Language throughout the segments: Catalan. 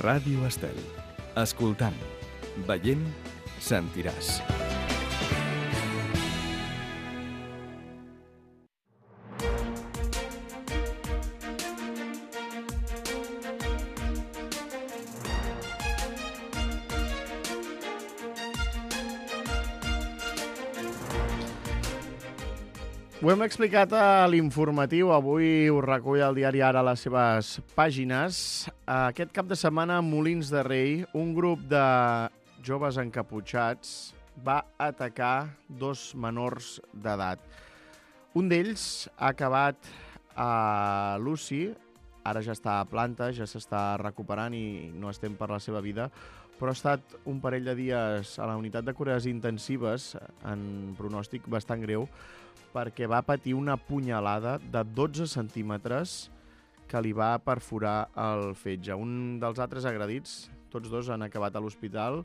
Ràdio Estel. Escoltant, veient, sentiràs. Ho hem explicat a l'informatiu, avui ho recull el diari Ara a les seves pàgines. Aquest cap de setmana a Molins de Rei, un grup de joves encaputxats va atacar dos menors d'edat. Un d'ells ha acabat a l'UCI, ara ja està a planta, ja s'està recuperant i no estem per la seva vida, però ha estat un parell de dies a la unitat de cures intensives en pronòstic bastant greu, perquè va patir una punyalada de 12 centímetres que li va perforar el fetge. Un dels altres agredits, tots dos han acabat a l'hospital,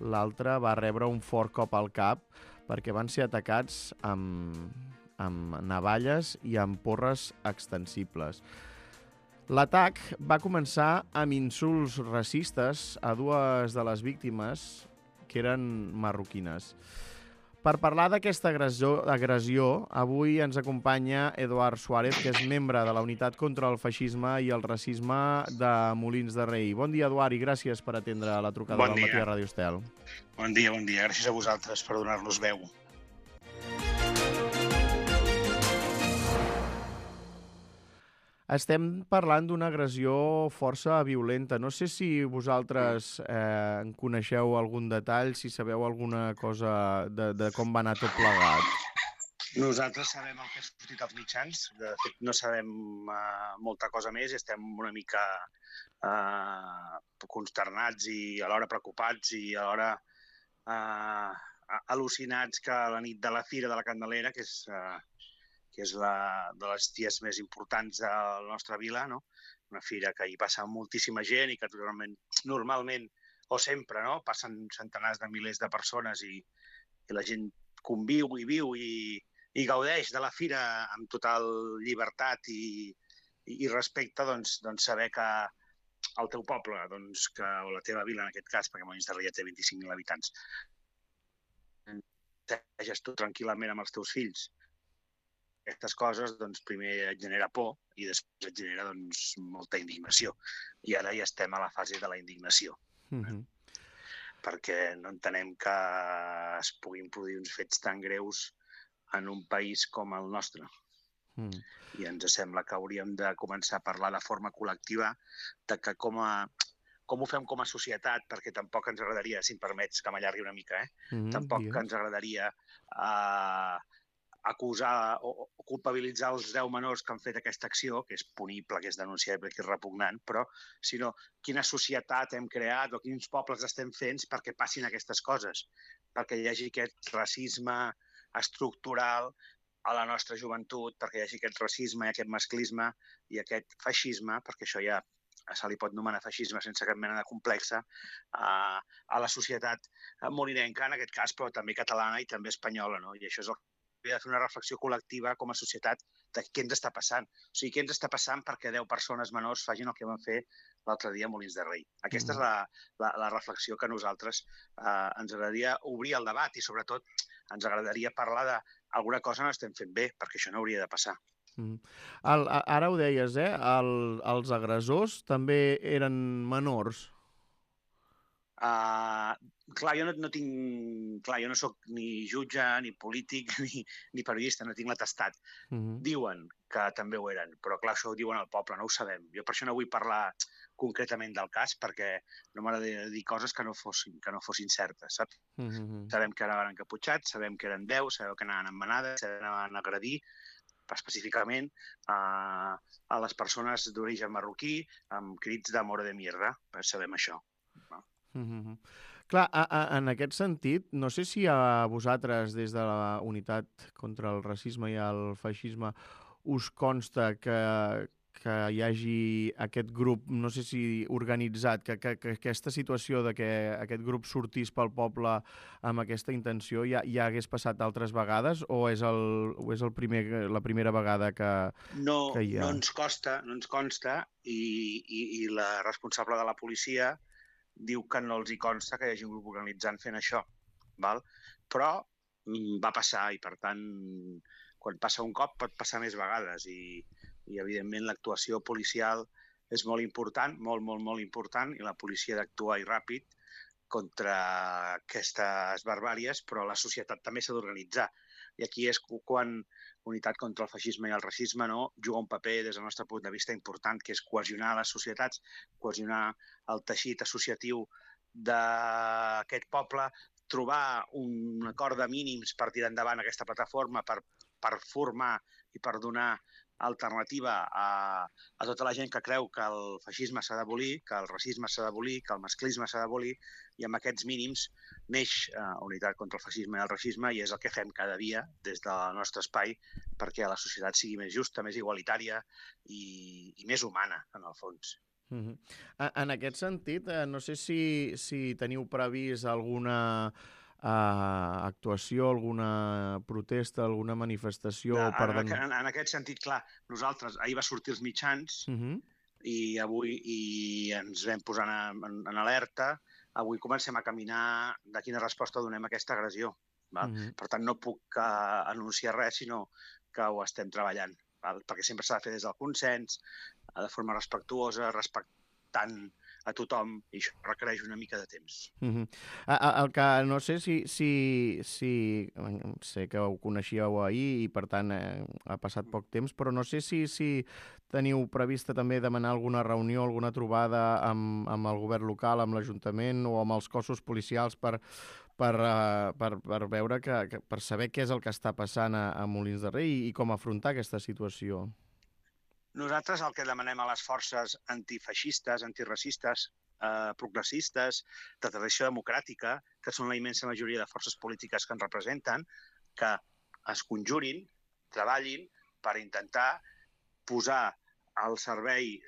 l'altre va rebre un fort cop al cap perquè van ser atacats amb navalles i amb porres extensibles. L'atac va començar amb insults racistes a dues de les víctimes, que eren marroquines. Per parlar d'aquesta agressió, avui ens acompanya Eduard Suárez, que és membre de la Unitat contra el Feixisme i el Racisme de Molins de Rei. Bon dia, Eduard, i gràcies per atendre la trucada del matí a Ràdio Estel. Bon dia. Gràcies a vosaltres per donar-nos veu. Estem parlant d'una agressió força violenta. No sé si vosaltres en coneixeu algun detall, si sabeu alguna cosa de com va anar tot plegat. Nosaltres sabem el que ha sortit als mitjans. De fet, no sabem molta cosa més. Estem una mica consternats i alhora preocupats i alhora al·lucinats que la nit de la Fira de la Candelera, que és de les dies més importants de la nostra vila, no? Una fira que hi passa moltíssima gent i que normalment, o sempre, no? Passen centenars de milers de persones i la gent conviu i viu i gaudeix de la fira amb total llibertat i respecte, doncs saber que el teu poble, o la teva vila en aquest cas, perquè Molins de Rei té 25.000 habitants, segueixes tu tranquil·lament amb els teus fills. Aquestes coses, primer et genera por i després et genera molta indignació. I ara ja estem a la fase de la indignació. Perquè no entenem que es puguin produir uns fets tan greus en un país com el nostre. I ens sembla que hauríem de començar a parlar de forma col·lectiva de que com ho fem com a societat, perquè tampoc ens agradaria, si em permets que m'allargui una mica, tampoc ens agradaria acusar o culpabilitzar els 10 menors que han fet aquesta acció, que és punible, que és denunciable, que és repugnant, però sinó quina societat hem creat o quins pobles estem fent perquè passin aquestes coses, perquè hi hagi aquest racisme estructural a la nostra joventut, perquè hi hagi aquest racisme i aquest masclisme i aquest feixisme, perquè això ja se li pot anomenar feixisme sense cap mena de complexa, a la societat molinenca, en aquest cas, però també catalana i també espanyola, no? I això és el de fer una reflexió col·lectiva com a societat de què ens està passant. O sigui, què ens està passant perquè 10 persones menors facin el que van fer l'altre dia a Molins de Rei. Aquesta és la reflexió que a nosaltres ens agradaria obrir el debat i, sobretot, ens agradaria parlar d'alguna cosa no estem fent bé, perquè això no hauria de passar. Ara ho deies, els agressors també eren menors. Clar, jo no soc ni jutge, ni polític, ni periodista, no tinc l'atestat. Diuen que també ho eren, però clar, això ho diuen al poble, no ho sabem. Jo per això no vull parlar concretament del cas, perquè no m'agradaria dir coses que no fossin certes, saps? Sabem que eren encaputxats, sabem que eren 10, sabem que anaven amb manades, sabem que anaven a agredir específicament a les persones d'origen marroquí amb crits de mora de mierda, sabem això. Clar, en aquest sentit, no sé si a vosaltres, des de la Unitat contra el Racisme i el Feixisme, us consta que hi hagi aquest grup, no sé si organitzat, que aquesta situació de que aquest grup sortís pel poble amb aquesta intenció ja hagués passat altres vegades o és la primera vegada que hi ha? No ens consta i la responsable de la policia diu que no els hi consta que hi hagi un grup organitzant fent això, val? Però va passar i, per tant, quan passa un cop pot passar més vegades i evidentment, l'actuació policial és molt important, molt, molt, molt important, i la policia ha d'actuar i ràpid contra aquestes barbàries, però la societat també s'ha d'organitzar. I aquí és quan Unitat contra el Feixisme i el Racisme juga un paper, des del nostre punt de vista, important, que és cohesionar les societats, cohesionar el teixit associatiu d'aquest poble, trobar un acord de mínims per tirar endavant aquesta plataforma, per formar i per donar alternativa a tota la gent que creu que el feixisme s'ha d'abolir, que el racisme s'ha d'abolir, que el masclisme s'ha d'abolir, i amb aquests mínims neix Unitat contra el Feixisme i el Racisme, i és el que fem cada dia des del nostre espai perquè la societat sigui més justa, més igualitària i més humana, en el fons. En aquest sentit, no sé si teniu previst alguna actuació, alguna protesta, alguna manifestació... En aquest sentit, clar, nosaltres, ahir va sortir els mitjans i avui ens vam posar en alerta, avui comencem a caminar de quina resposta donem a aquesta agressió. Per tant, no puc anunciar res, sinó que ho estem treballant, perquè sempre s'ha de fer des del consens, de forma respectuosa, respectant a tothom, i això requereix una mica de temps. El que no sé si sé que ho coneixíeu ahir i, per tant, ha passat poc temps, però no sé si teniu prevista també demanar alguna reunió, alguna trobada amb el govern local, amb l'Ajuntament o amb els cossos policials per veure, per saber què és el que està passant a Molins de Rei i com afrontar aquesta situació. Nosaltres el que demanem a les forces antifeixistes, antiracistes, progressistes, de tradició democràtica, que són la immensa majoria de forces polítiques que ens representen, que es conjurin, treballin per intentar posar al servei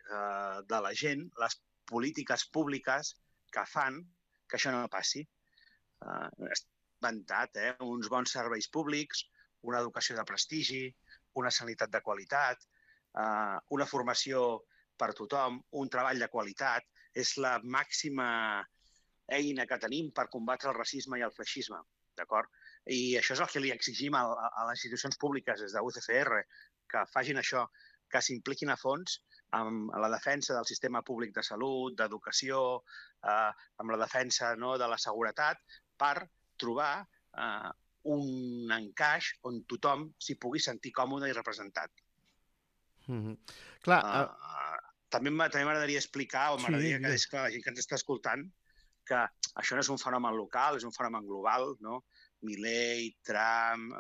de la gent les polítiques públiques que fan que això no passi. Inventat, uns bons serveis públics, una educació de prestigi, una sanitat de qualitat, una formació per tothom, un treball de qualitat, és la màxima eina que tenim per combatre el racisme i el feixisme, d'acord? I això és el que li exigim a les institucions públiques des de UCCR, que facin això, que s'impliquin a fons amb la defensa del sistema públic de salut, d'educació, amb la defensa de la seguretat, per trobar un encaix on tothom s'hi pugui sentir còmode i representat. També m'agradaria explicar, o m'agradaria que és clar, la gent que ens està escoltant, que això no és un fenomen local, és un fenomen global, no? Milei, Trump,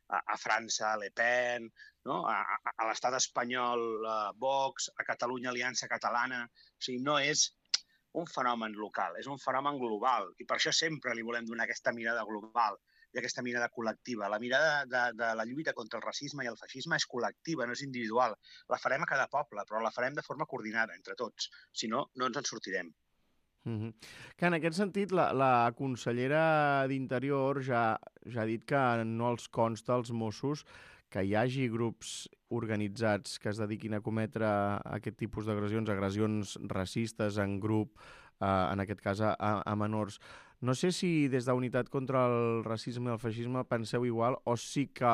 a França, Le Pen, no? A l'estat espanyol, Vox, a Catalunya, Aliança Catalana. O sigui, no és un fenomen local, és un fenomen global, i per això sempre li volem donar aquesta mirada global i aquesta mirada col·lectiva. La mirada de la lluita contra el racisme i el feixisme és col·lectiva, no és individual. La farem a cada poble, però la farem de forma coordinada entre tots. Si no, no ens en sortirem. Que en aquest sentit, la consellera d'Interior ja ha dit que no els consta als Mossos que hi hagi grups organitzats que es dediquin a cometre aquest tipus agressions racistes en grup, en aquest cas a menors. No sé si des d'Unitat contra el Racisme i el Feixisme penseu igual o sí que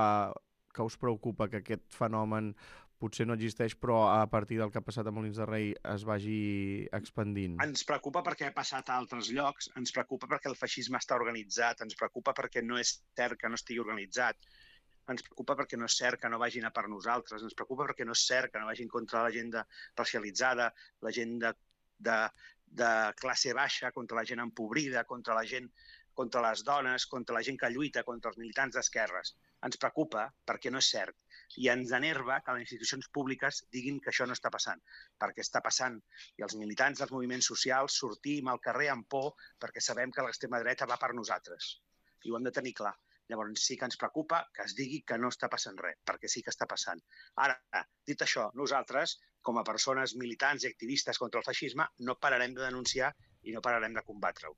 us preocupa que aquest fenomen potser no existeix, però a partir del que ha passat a Molins de Rei es vagi expandint. Ens preocupa perquè ha passat a altres llocs, ens preocupa perquè el feixisme està organitzat, ens preocupa perquè no és cert que no estigui organitzat, ens preocupa perquè no és cert que no vagin a per nosaltres, ens preocupa perquè no és cert que no vagin contra la gent racialitzada, la gent de classe baixa, contra la gent empobrida, contra la gent, contra les dones, contra la gent que lluita, contra els militants d'esquerres. Ens preocupa perquè no és cert. I ens enerva que les institucions públiques diguin que això no està passant, perquè està passant. I els militants dels moviments socials sortim al carrer amb por perquè sabem que l'extrema dreta va per nosaltres. I ho hem de tenir clar. Llavors sí que ens preocupa que es digui que no està passant res, perquè sí que està passant. Ara, dit això, nosaltres, com a persones militants i activistes contra el feixisme, no pararem de denunciar i no pararem de combatre-ho.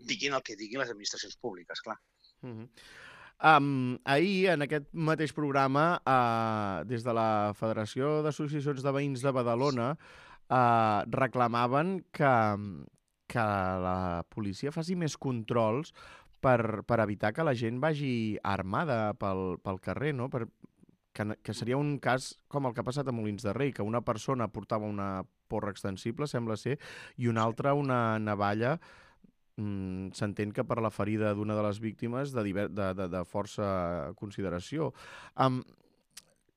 Diguin el que diguin les administracions públiques, clar. Ahir, en aquest mateix programa, des de la Federació d'Associacions de Veïns de Badalona, reclamaven que que la policia faci més controls per evitar que la gent vagi armada pel carrer, no? Que seria un cas com el que ha passat a Molins de Rei, que una persona portava una porra extensible, sembla ser, i una altra una navalla. S'entén que per la ferida d'una de les víctimes de força consideració.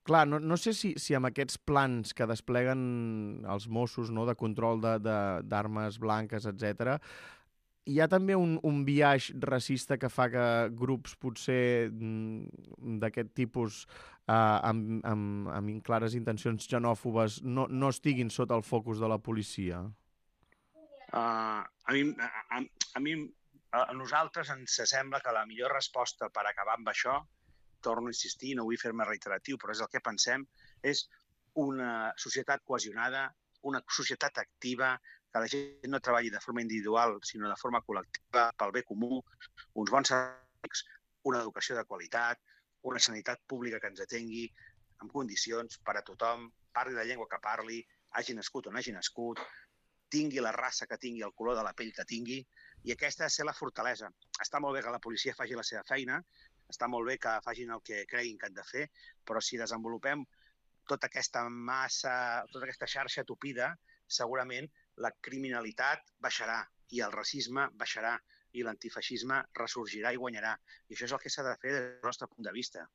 Clar, no sé si amb aquests plans que despleguen els Mossos, no, de control d'armes blanques, etc., hi ha també un biaix racista que fa que grups potser d'aquest tipus amb clares intencions xenòfobes no estiguin sota el focus de la policia? A nosaltres ens sembla que la millor resposta per acabar amb això, torno a insistir, no vull fer-me reiteratiu, però és el que pensem, és una societat cohesionada, una societat activa, que la gent no treballi de forma individual, sinó de forma col·lectiva, pel bé comú, uns bons serveis, una educació de qualitat, una sanitat pública que ens atengui en condicions per a tothom, parli la llengua que parli, hagi nascut o no hagi nascut, tingui la raça que tingui, el color de la pell que tingui, i aquesta ha de ser la fortalesa. Està molt bé que la policia faci la seva feina, està molt bé que facin el que creguin que han de fer, però si desenvolupem tota aquesta xarxa tupida, segurament la criminalitat baixarà i el racisme baixarà i l'antifeixisme ressorgirà i guanyarà. I això és el que s'ha de fer des del nostre punt de vista.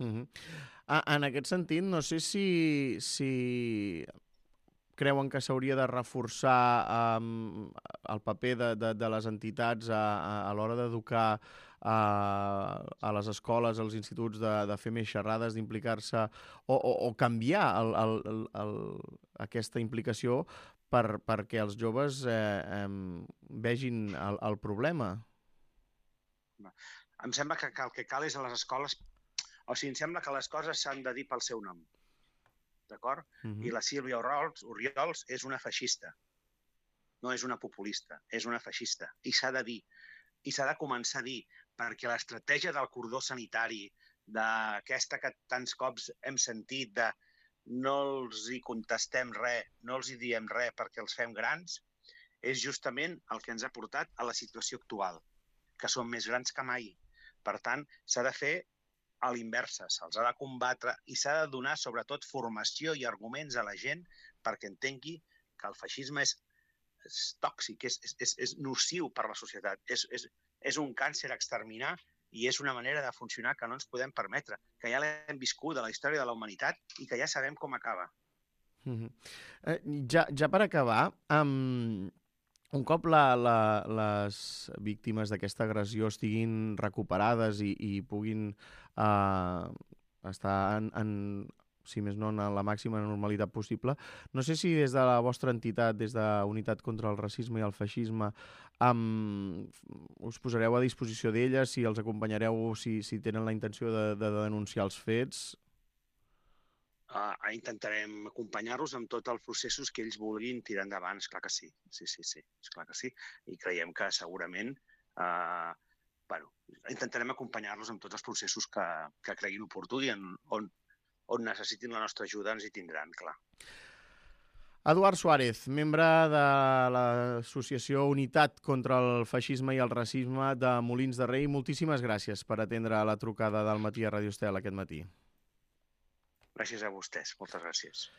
En aquest sentit, no sé si creuen que s'hauria de reforçar el paper de les entitats a l'hora d'educar a les escoles, als instituts, de fer més xerrades, d'implicar-se o canviar aquesta implicació perquè els joves vegin el problema? Em sembla que el que cal és a les escoles... O sigui, em sembla que les coses s'han de dir pel seu nom. D'acord? I la Sílvia Orriols és una feixista. No és una populista, és una feixista. I s'ha de dir. I s'ha de començar a dir, perquè l'estratègia del cordó sanitari, d'aquesta que tants cops hem sentit, de no els hi contestem res, no els hi diem res perquè els fem grans, és justament el que ens ha portat a la situació actual, que són més grans que mai. Per tant, s'ha de fer a l'inversa, se'ls ha de combatre i s'ha de donar, sobretot, formació i arguments a la gent perquè entengui que el feixisme és tòxic, és nociu per a la societat, és un càncer a exterminar i és una manera de funcionar que no ens podem permetre, que ja l'hem viscut a la història de la humanitat i que ja sabem com acaba. Ja per acabar, un cop les víctimes d'aquesta agressió estiguin recuperades i puguin estar si més no, en la màxima normalitat possible, no sé si des de la vostra entitat, des de Unitat contra el Racisme i el Feixisme, us posareu a disposició d'elles, si els acompanyareu, si tenen la intenció de denunciar els fets. Intentarem acompanyar-los amb tots els processos que ells vulguin tirar endavant, esclar que sí. Sí, esclar que sí. I creiem que segurament intentarem acompanyar-los amb tots els processos que creguin oportú i on necessitin la nostra ajuda ens hi tindran, clar. Eduard Suárez, membre de l'associació Unitat contra el Feixisme i el Racisme de Molins de Rei, moltíssimes gràcies per atendre la trucada del Matí a Ràdio Estel aquest matí. Gràcies a vostès, moltes gràcies.